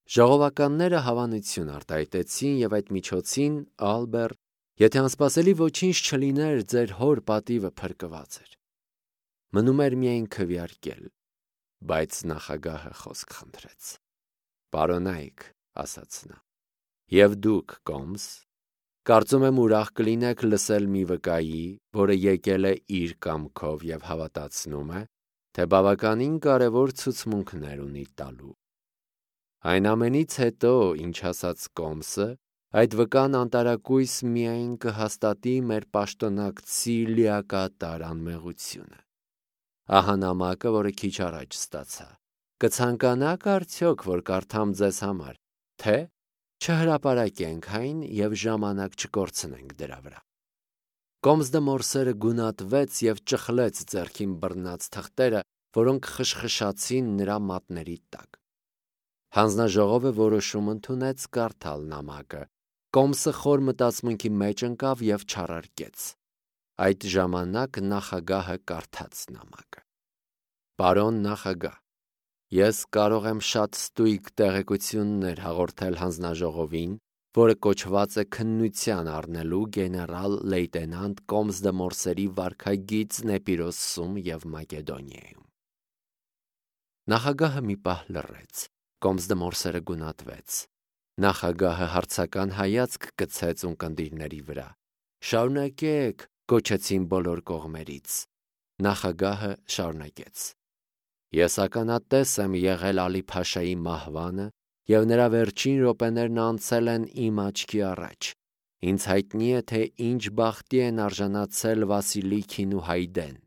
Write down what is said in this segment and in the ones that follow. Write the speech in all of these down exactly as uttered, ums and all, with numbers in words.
Ժողովականները հավանություն արտահայտեցին և այդ միջոցին Ալբեր, եթե անսպասելի ոչինչ չլիներ, ձեր հոր պատիվը փրկված էր։ Մնում էր միայն քվեարկել, բայց նախագահը խոսք խնդրեց։ Պարոնայք, ասաց նա, և դուք, Կոմս, կարծում եմ ուրախ կլինեք լսել մի վկայի, որը եկել է իր կամքով և հավատացնում է, թե բավականին կարևոր ցուցմունքներ ունի տալու։ Այն ամենից հետո, ինչ ասաց Կոմսը, այդ վկան անտարակույս միայն կհաստատի մեր պաշտոնակցի լիակատար անմեղությունը։ Ահա նամակը, որը քիչ առաջ ստացա։ Կցանկանաք արդյոք, որ կարդամ ձեզ համար, թե չհրապարակենք այն և ժամանակ չկորցնենք դրա վրա։ Կոմս դե Մորսերը գունատվեց և ճխլեց ձեռքին բռնած թղթերը, որոնք խշխշացին նրա մատների տակ։ Հանձնաժողովը որոշում ընդունեց կարդալ նամակը։ Կոմսը խոր մտածմունքի մեջ ընկավ և չարարկեց։ Այդ ժամանակ նախագահը կարդաց նամակը։ Պարոն նախագահ, ես կարող եմ շատ ստույգ տեղեկություններ հաղորդել հանձնաժողովին, որը կոչված է քննության առնելու գեներալ լեյտենանտ Կոմս դե Մորսերի վարքագիծն Էպիրոսում և Մակեդոնիայում։ Նախագահը մի պահ լռեց։ Կոմս դե Մորսերը գունատվեց։ Նախագահը հարցական հայացք գցեց ունկնդիրների վրա։ Շարունակեք, գոչեցին բոլոր կողմերից։ Նախագահը շարունակեց. Ես ականատես եմ եղել Ալի-Փաշայի մահվանը, և նրա վերջին րոպեներն անցել են իմ աչքի առաջ։ Ինձ հայտնի է, թե ինչ բախտի են արժանացել Վասիլիքին ու Հայդեն։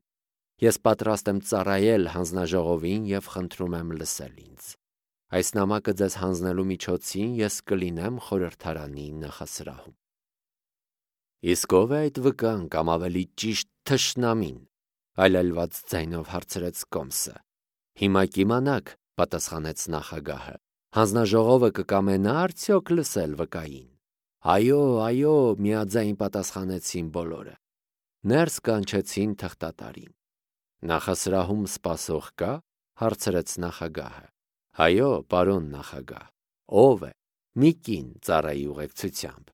Ես պատրաստ եմ ծառայել հանձնաժողովին և խնդրում եմ լսել ինձ։ Այս նամակը ձեզ հանձնելու միջոցին ես կլինեմ խորհրդարանի նախասրահում։ Իսկ ո՞վ է այդ վկան կամ ավելի ճիշտ թշնամին, այլայլված ձայնով հարցրեց Կոմսը։ Հիմա կիմանաք, պատասխանեց նախագահը, հանձնաժողովը կկամենա արդյոք լսել վկային։ Այո, այո, միաձայն պատասխանեցին բոլորը։ Ներս կանչեցին թղթատարին։ Նախասրահում սպասող կա, հարցրեց նախագահը։ Այո, պարոն նախագահ, ով է։ Մի կին ծառայի ուղեկցությամբ։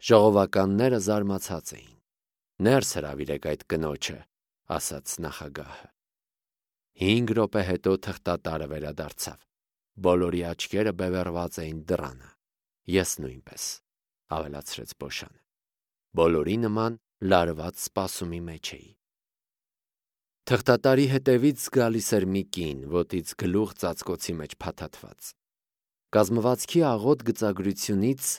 Ժողովականները զարմացած էին։ Ներս հրավիրեք այդ կնոջը, ասաց նախագահը։ Հինգ րոպե հետո թղթատարը վերադարձավ։ Բոլորի աչքերը բևեռված էին դռանը։ Ես նույնպես, ավելացրեց Բոշանը։ Բոլորի նման լարված սպասումի մեջ էի։ Թղթատարի հետևից գալիս էր մի կին, ոտից գլուխ ծածկոցի մեջ փաթաթված։ Կազմվածքի աղոտ գծագրությունից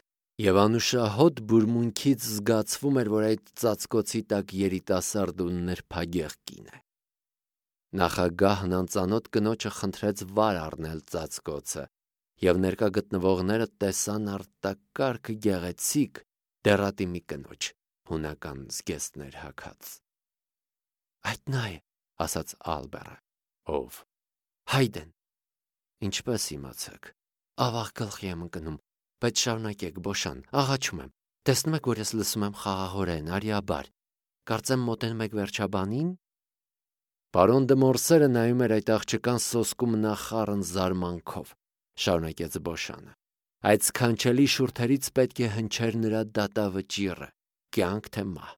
և անուշահոտ բուրմունքից զգացվում էր, որ այդ ծածկոցի տակ երիտասարդ ու նրբագեղ կին է։ Նախագահն անծանոթ կնոջը խնդրեց վար առնել ծածկոցը, և ներկա գտնվողները տեսան արտակարգ գեղեցիկ դեռատի մի կնոջ, հունական զգեստներ հագած։ Այդ նա է, ասաց Ալբերը։ Ով։ Հայդեն։ Ինչպես իմացաք։ Ավաղ գլխի եմ ընկնում, բայց շարունակեք, Բոշան, աղաչում եմ։ Տեսնում եք, որ ես լսում եմ խաղաղորեն, արիաբար։ Կարծեմ մոտենում եք վերջաբանին։ Պարոն դե Մորսերը նայում էր այդ աղջկան սոսկում նախառն զարմանքով, շարունակեց Բոշանը։ Այդ սքանչելի շուրթերից պետք է հնչեր նրա դատավճիռը, կյանք թե մահ։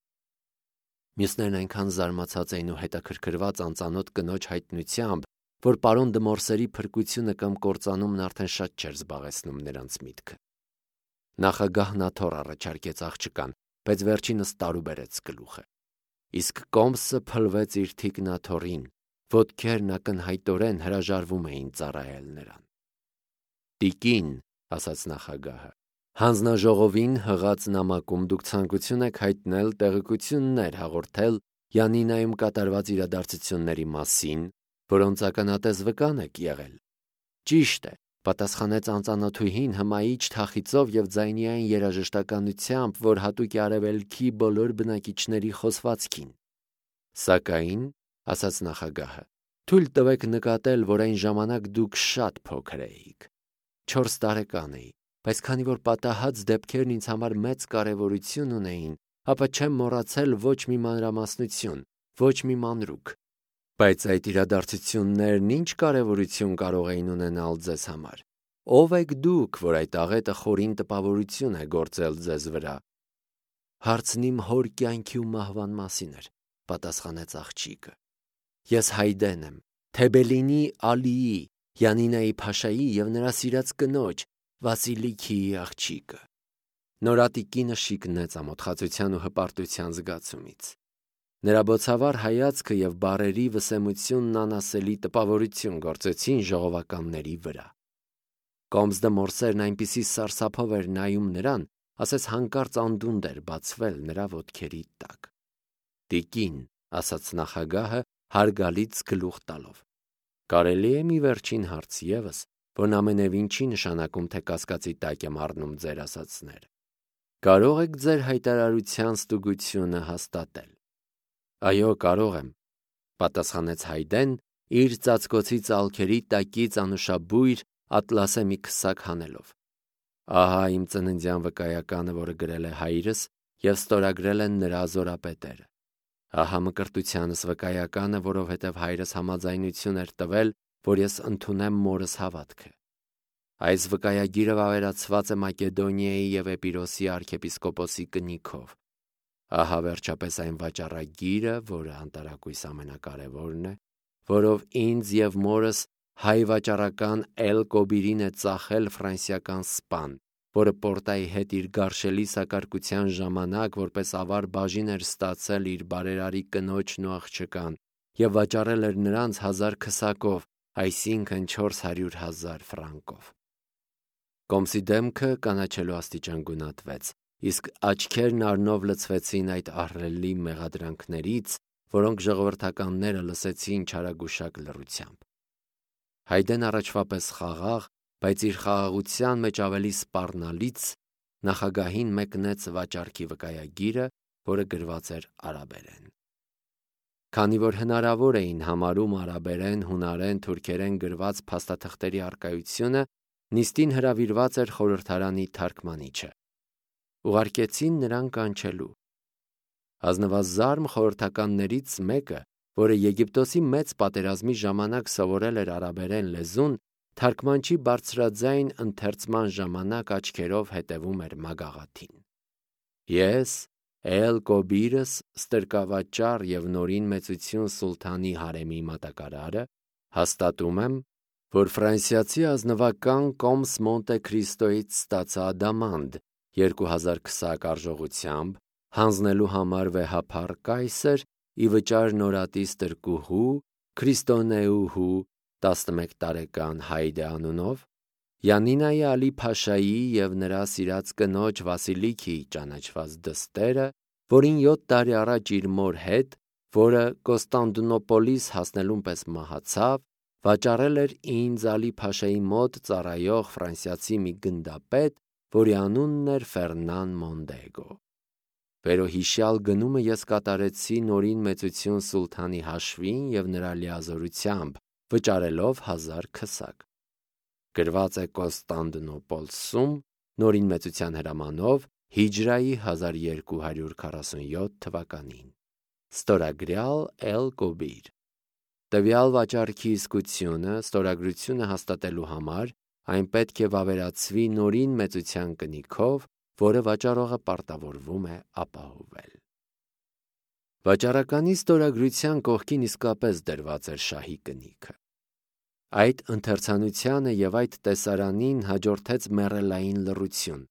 Մյուսներն այնքան զարմացած էին ու հետաքրքրված անծանոթ կնոջ հայտնությամբ, որ պարոն դե Մորսերի փրկությունը կամ կործանումն արդեն շատ չէր զբաղեցնում նրանց միտքը։ Նախագահն աթոռ առաջարկեց աղջկան, բայց վերջինս տարուբերեց գլուխը։ Իսկ Կոմսը փլվեց իր թիկնաթոռին, ոտքերն ակնհայտորեն հրաժարվում էին ծառայել նրան։ Տիկին, ասաց նախագահը, հանձնաժողովին հղած նամակում դուք ցանկություն եք հայտնել տեղեկություններ հաղորդել Յանինայում կատարված իրադարձությունների մասին, որոնց ականատես վկան եք եղել։ Ճիշտ է, պատասխանեց անծանոթուհին հմայիչ թախիծով և ձայնիային երաժշտականությամբ, որ հատուկ է արևելքի բոլոր բնակիչների խոսվածքին։ Սակայն, ասաց նախագահը, թույլ տվեք նկատել, որ այն ժամանակ դուք շատ փոքր էիք։ Չորս տարեկան էի, բայց քանի որ պատահած դեպքերն ինձ համար մեծ կարևորություն ունեին, ապա չեմ մոռացել ոչ մի մանրամասնություն, ոչ մի մանրուք։ Բայց այդ իրադարձություններն ինչ կարևորություն կարող էին ունենալ ձեզ համար։ Ո՞վ եք դուք, որ այդ աղետը խորին տպավորություն է գործել ձեզ վրա։ Հարցն իմ հոր կյանքի ու մահվան մասին էր, պատասխանեց աղջիկը։ Ես Հայդեն եմ, Թեբելինի Ալիի, Յանինայի Փաշայի և նրա սիրած կնոջ Վասիլիքիի աղջիկը։ Նորատիկինը շիկնեց ամոթխածության ու հպարտության զգացումից։ Նրա բոցավառ հայացքը և բառերի վսեմությունն անասելի տպավորություն գործեցին ժողովականների վրա։ Կոմսդը մորսերն այնպիսի սարսափով էր նայում նրան, ասես հանկարծ անդունդ էր բացվել նրա ոտքերի տակ։ Տիկին, ասաց նախագահը հարգալից գլուխ տալով, կարելի է մի վերջին հարց ևս, որն ամենևին չի նշանակում, թե կասկածի տակ եմ առնում ձեր ասածները։ Կարո՞ղ եք ձեր հայտարարության ստուգությունը հաստատել։ Այո, կարող եմ, պատասխանեց Հայդեն, իր ծածկոցի ծալքերի տակից անուշաբույր ատլասե մի քսակ հանելով։ Ահա իմ ծննդյան վկայականը, որը գրել է հայրս և ստորագրել են նրա զորապետերը։ Ահա մկրտությանս վկայականը, որովհետև հայրս համաձայնություն էր տվել, որ ես ընդունեմ մորս հավատքը։ Այս վկայագիրը վավերացված է Մակեդոնիայի և Էպիրոսի արքեպիսկոպոսի կնիքով։ Ահա վերջապես այն վաճառագիրը, որը անտարակույս ամենակարևորն է, որով ինձ և մորս հայ վաճառական Էլ Կոբիրին է ծախել ֆրանսիական սպան, որը Պորտայի հետ իր գարշելի սակարկության ժամանակ որպես ավար բաժին էր ստացել իր բարերարի կնոջն ու աղջկան և վաճառել էր նրանց հազար քսակով, այսինքն չորս հարյուր հազար ֆրանկով։ Կոմսի դեմքը կանաչելու աստիճան գունատվեց, իսկ աչքերն առնով լցվեցին այդ ահռելի մեղադրանքներից, որոնք ժողովրդականները լսեցին չարագուշակ լռությամբ։ Հայդեն առաջվա պես խաղաղ, բայց իր խաղաղության մեջ ավելի սպառնալից նախագահին մեկնեց վաճառքի վկայագիրը, որը գրված էր արաբերեն։ Քանի որ հնարավոր էին համարում արաբերեն, հունարեն, թուրքերեն գրված փաստաթղթերի առկայությունը, նիստին հրավիրված էր խորհրդարանի թարգմանիչը։ Ուղարկեցին նրան կանչելու։ Ազնվազարմ խորհրդականներից մեկը, որը Եգիպտոսի մեծ պատերազմի ժամանակ սովորել էր արաբերեն լեզուն, թարգմանչի բարձրաձայն ընթերցման ժամանակ աչքերով հետևում էր մագաղաթին։ Ես, Էլ Կոբիրս, ստրկավաճառ և նորին մեծություն սուլթանի հարեմի մատակարարը, հաստատում եմ, որ ֆրանսիացի ազնվական Կոմս Մոնտե Քրիստոյից ստացա ադամանդ երկու հազար քսակ արժողությամբ, հանձնելու համար վեհափառ կայսր ի վճար նորատի ստրկուհու, քրիստոնեուհու, տասնմեկ տարեկան Հայդե անունով, Յանինայի Ալի Փաշայի և նրա սիրած կնոջ Վասիլիքիի ճանաչված դստերը, որին յոթ տարի առաջ իր մոր հետ, որը Կոստանդնուպոլիս հասնելուն պես մահացավ, վաճառել էր ինձ Ալի Փաշայի մոտ ծառայող ֆրանսիացի մի գնդապետ, որի անունն էր Ֆերնան Մոնդեգո։ Վերոհիշյալ գնումը ես կատարեցի նորին մեծություն սուլթանի հաշվին և նրա լիազորությամբ, վճարելով հազար քսակ։ Գրված է Կոստանդնուպոլսում նորին մեծության հրամանով հիջրայի հազար երկու հարյուր քառասունյոթ թվականին։ Ստորագրյալ Էլ Կոբիր։ Տվյալ վաճառքի իսկությունը, ստորագրությունը հաստատելու համար այն պետք է վավերացվի նորին մեծության կնիքով, որը վաճառողը պարտավորվում է ապահովել։ Վաճառականի ստորագրության կողքին իսկապես դրված էր շահի կնիքը։ Այդ ընթերցանությանը և այդ տեսարանին հաջորդեց մեռելային լռություն։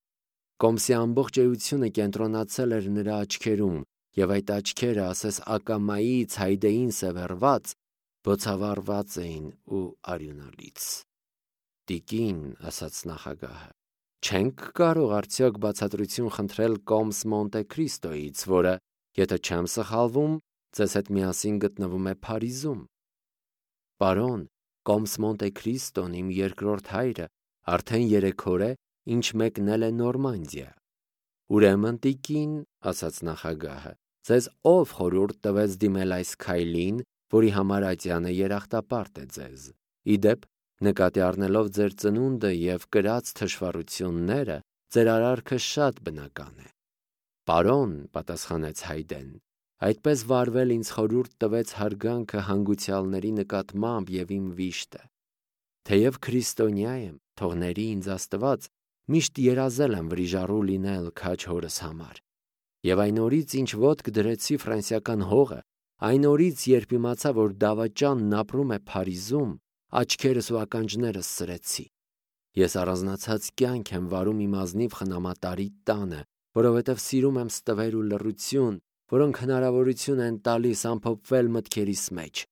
Կոմսի ամբողջ էությունը կենտրոնացել էր նրա աչքերում, և այդ աչքերը, ասես ակամայից Հայդեին սևեռված, բոցավառված էին ու արյունալից։ Տիկին, ասաց նախագահը, չենք կարող արդյոք բացատրություն խնդրել Կոմս Մոնտե Քրիստոյից, որը, եթե չեմ սխալվում, ձեզ հետ միասին գտնվում է Փարիզում։ Պարոն, Կոմս Մոնտե Քրիստոն, իմ երկրորդ հայրը, արդեն երեք օր է, ինչ մեկնել է Նորմանդիա։ Ուրեմն, տիկին, ասաց նախագահը, ձեզ ով խորհուրդ տվեց դիմել այս քայլին, որի համար ատյանը երախտապարտ է ձեզ։ Ի դեպ, նկատի առնելով ձեր ծնունդը և կրած թշվառությունները, ձեր արարքը շատ բնական է։ Պարոն, պատասխանեց Հայդեն, այդպես վարվել ինձ խորհուրդ տվեց հարգանքը հանգուցյալների նկատմամբ և իմ վիշտը։ Թեև քրիստոնյա եմ, թողների ինձ Աստված, միշտ երազել եմ վրիժառու լինել քաջ հորս համար։ Եվ այն օրից, ինչ ոտք դրեցի ֆրանսիական հողը, այն օրից, երբ իմացա, որ դավաճանն ապրում է Փարիզում, աչքերս ու ականջներս սրեցի։ Ես առանձնացած կյանք եմ վարում իմ ազնիվ խնամատարի տանը, որովհետև սիրում եմ ստվեր ու լռություն, որոնք հնարավորություն են տալիս ամփոփվել մտքերիս մեջ։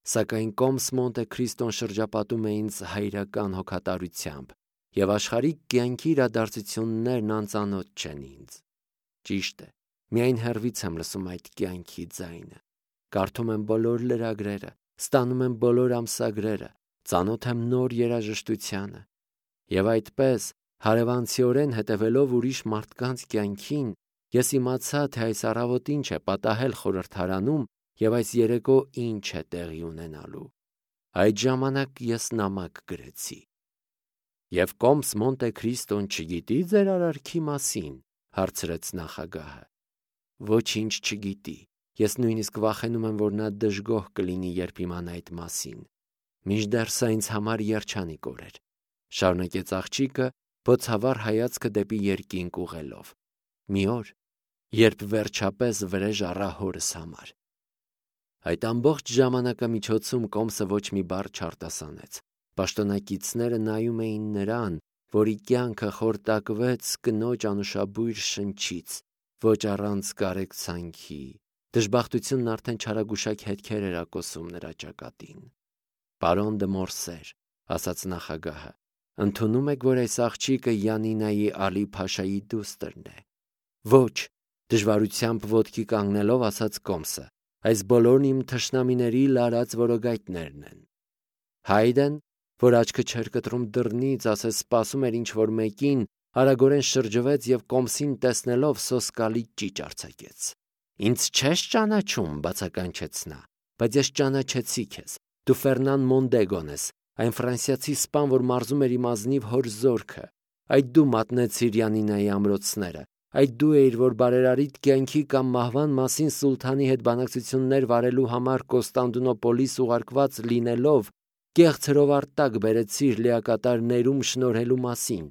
Սակայն կոմս Մոնտե Քրիստոն շրջապատում է ինձ հայրական հոգատարությամբ, և աշխարհիկ կյանքի իրադարձություններն անծանոթ չեն ինձ։ Ճիշտ է, միայն հեռվից եմ լսում այդ կյանքի ձայնը։ Կարդում եմ բոլոր լրագրերը, ստանում եմ բոլոր ամսագրերը, ծանոթ եմ նոր երաժշտությանը։ Եվ այդպես, հարևանցիորեն հետևելով ուրիշ մարդկանց կյանքին, ես իմացա, թե այս առավոտ ինչ է պատահել խորհրդարանում և այս երեկո ինչ է տեղի ունենալու։ Այդ ժամանակ ես նամակ գրեցի։ «Եվ կոմս Մոնտե Քրիստոն չգիտի ձեր արարքի մասին», հարցրեց նախագահը։ «Ոչինչ չգիտի։ Ես նույնիսկ վախենում եմ, որ նա դժգոհ կլինի, երբ իմանա այդ մասին։ Մինչդեռ սա ինձ համար երջանիկ օր էր», շարունակեց աղջիկը, բոցավառ հայացքը դեպի երկինք ուղղելով։ «Մի օր, երբ վերջապես վրեժ առա հորս համար»։ Այդ ամբողջ ժամանակամիջոցում կոմսը ոչ մի բառ չարտասանեց։ Պաշտոնակիցները նայում էին նրան, որի կյանքը խորտակվեց կնոջ անուշաբույր շնչից, ոչ առանց կարեկցանքի։ Դժբախտությունն արդեն չարագուշակ հետքեր էր ակոսում նրա ճակատին։ «Պարոն դը Մորսեր», ասաց նախագահը, «ընդունում եք, որ այս աղջիկը Յանինայի Ալի Փաշայի դուստրն է»։ «Ոչ», դժվարությամբ ոտքի կանգնելով ասաց կոմսը, «այս բոլորն իմ թշնամիների լարած որոգայթներն են»։ Հայդեն, որ աչքը չէր կտրում դռնից, ասես սպասում էր ինչ-որ մեկին, արագորեն շրջվեց և կոմսին տեսնելով սոսկալի ճիչ արձակեց։ «Ինձ չես ճանաչում», բացականչեց նա, «բայց ես ճանաչեցի քեզ։ Դու Ֆերնան Մոնդեգոն ես, այն ֆրանսիացի սպան, որ մարզում էր իմ ազնիվ հոր զորքը։ Այդ դու մատնեցիր Յանինայի ամրոցները։ Այդ դու էիր, որ բարերարիտ կյանքի կամ մահվան մասին սուլթանի հետ բանակցություններ վարելու համար Կոստանդնուպոլիս ուղարկված լինելով, կեղծ հրովարտակ բերեցիր լիակատար ներում շնորհելու մասին։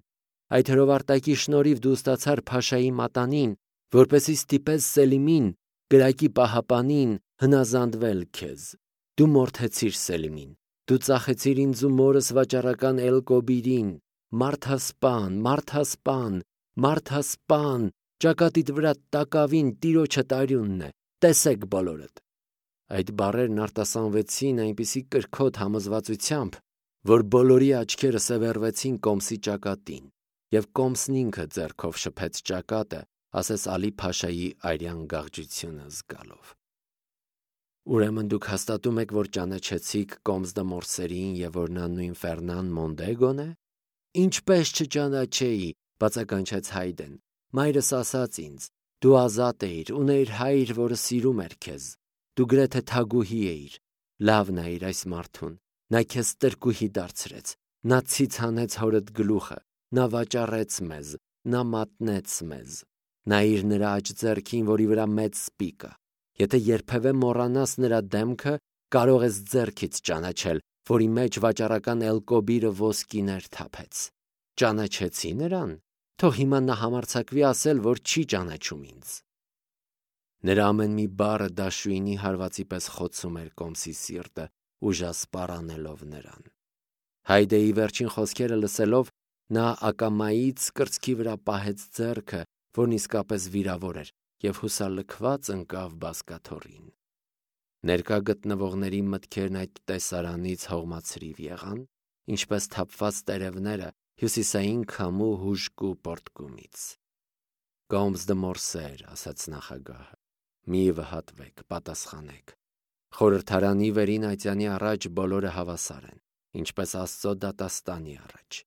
Այդ հրովարտակի շնորհիվ դու ստացար Փաշայի մատանին, որպեսզի ստիպես Սելիմին, կրակի պահապանին, հնազանդվել քեզ։ Դու մորթեցիր Սելիմին։ Դու ծախեցիր ինձ ու մորս վաճառական Էլ-Կոբիրին, մարդասպան, մարդասպան, մարդասպան, ճակատիդ վրա տակավին տիրոջդ արյունն է, տեսեք բոլորդ։ Այդ բառերն արտասանվեցին այնպիսի կրքոտ համոզվածությամբ, որ բոլորի աչքերը սևեռվեցին կոմսի ճակատին, և կոմսն ինքը ձեռքով շփեց ճակատը, ասես Ալի Փաշայի արյան գաղջությունը զգալով։ Ուրեմն դուք հաստատում եք, որ ճանաչեցիք կոմս դը Մորսերին և որ նա նույն Ֆերնան Մոնդեգոն է։ Ինչպես չճանաչեի, բացականչեց Հայդեն։ Մայրս ասաց ինձ, դու ազատ էիր, ունեիր հայր, որը սիրում էր քեզ։ Դու գրեթե թագուհի էիր։ Լավ նայիր այս մարդուն։ Նա քեզ տրկուհի դարձրեց։ Նա ցից հանեց հորդ գլուխը։ Նա վաճառեց մեզ։ Նա մատնեց մեզ։ Նայիր նրա աջ ձեռքին, որի վրա մեծ սպի կա։ Եթե երբևէ մոռանաս նրա դեմքը, կարող ես ձեռքից ճանաչել, որի մեջ վաճառական Էլ-Կոբիրը ոսկիներ թափեց։ Ճանաչեցի նրան։ Թող հիմա նա համարձակվի ասել, որ չի ճանաչում ինձ։ Նրա ամեն մի բառը դաշույնի հարվածի պես խոցում էր կոմսի սիրտը, ուժասպառ անելով նրան։ Հայդեի վերջին խոսքերը լսելով, նա ակամայից կրծքի վրա պահեց ձեռքը, որն իսկապես վիրավոր էր, և հուսալքված ընկավ բազկաթոռին։ Ներկա գտնվողների մտքերն այդ տեսարանից հողմացրիվ եղան, ինչպես թափված տերևները հյուսիսային քամու հուժկու պոռթկումից։ «Կոմս դը Մորսեր», ասաց նախագահը, «մի վհատվեք, պատասխանեք։ Խորհրդարանի վերին ատյանի առաջ բոլորը հավասար են, ինչպես Աստծո դատաստանի առաջ։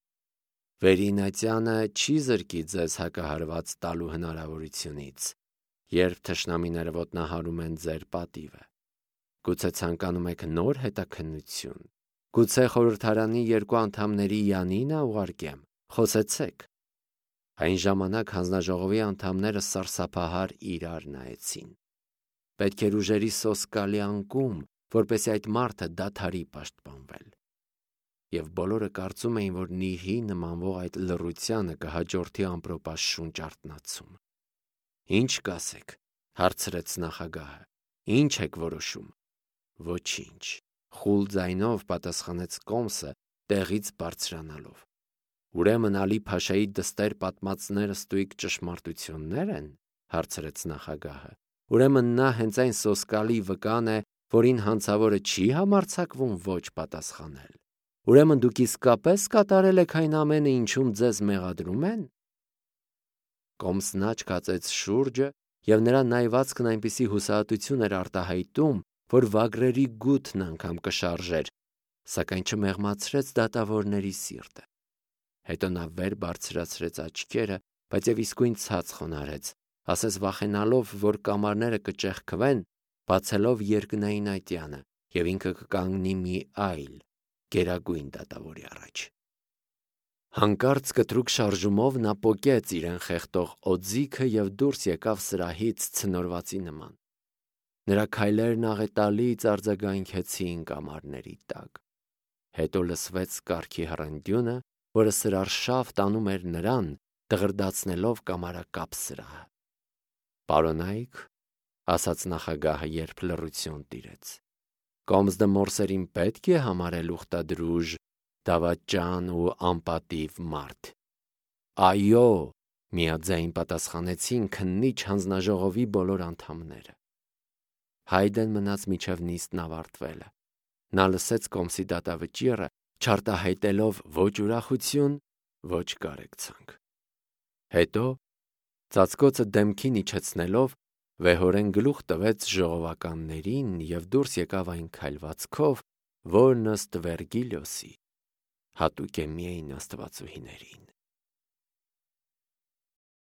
Վերին ատյանը չի զրկի ձեզ հակահարված տալու հնարավորությունից, երբ թշնամիները ոտնահարում են ձեր պատիվը։ Գուցե ցանկանում եք նոր հետաքննություն։ Գուցե խորհրդարանի երկու անդամների Յանինա ուղարկեմ, խոսեցեք»։ Այն ժամանակ հանձնաժողովի անդամները սարսափահար իրար նայեցին։ Պետք էր ուժերի սոսկալի անկում, որպեսզի այդ մարդը դադարի պաշտպանվել։ և բոլորը կարծում էին, որ նիրհի նմանվող այդ լռությանը կհաջորդի ամպրոպաշտ շունչ արթնացում։ «Ի՞նչ կասեք», հարցրեց նախագահը, «ի՞նչ եք որոշում»։ «Ոչինչ», խուլ ձայնով պատասխանեց Կոմսը, տեղից բարձրանալով։ «Ուրեմն Ալի-Փաշայի դստեր պատմածները ստույգ ճշմարտություննե՞ր են», հարցրեց նախագահը։ «Ուրեմն նա հենց այն սոսկալի վկան է, որին հանցավորը չի համարձակվում ոչ պատասխանել։ Ուրեմն դուք իսկապես կատարել եք այն ամենը, ինչում ձեզ մեղադրում են»։ Կոմսն աչք հացեց շուրջը, և նրա նայվածքն այնպիսի հուսահատություն էր արտահայտում, որ վագրերի գութն անգամ կշարժեր, սակայն չմեղմացրեց դատավորների սիրտը։ Հետո նա վեր բարձրացրեց աչքերը, բայց և իսկույն ցած խոնարհեց, ասես վախենալով, որ կամարները կճեղքվեն, բացելով երկնային այտյանը, և ինքը կկանգնի մի այլ, գերագույն դատավորի առաջ։ Հանկարծ կտրուկ շարժումով նա պոկեց իրեն խեղդող օձիքը և դուրս եկավ սրահից ցնորվածի նման։ Նրա քայլերն աղետալից արձագանքեցին կամարների տակ։ Հետո լսվեց կառքի հռնդյունը, որը սրարշավ տանում էր նրան, դղրդացնելով կամարակապ սրահը։ «Պարոնա՛յք», ասաց նախագահը, երբ լռություն տիրեց, «Կոմսդը Մորսերին պետք է համարել ուխտադրուժ, դավաճան ու անպատիվ մարդ»։ «Այո», միաձայն պատասխանեցին քննիչ հանձնաժողովի բոլոր անդամները։ Հայդեն մնաց մինչև նիստն ավարտվելը։ Նա լսեց Կոմսի դատավճիռը, չարտահայտելով ոչ ուրախություն, ոչ կարեկցանք։ Հետո, ծածկոցը դեմքին իջեցնելով, վեհորեն գլուխ տվեց ժողովականներին և դուրս եկավ այն քայլվածքով, որն ըստ Վերգիլիոսի հատուկ է միայն աստվածուհիներին։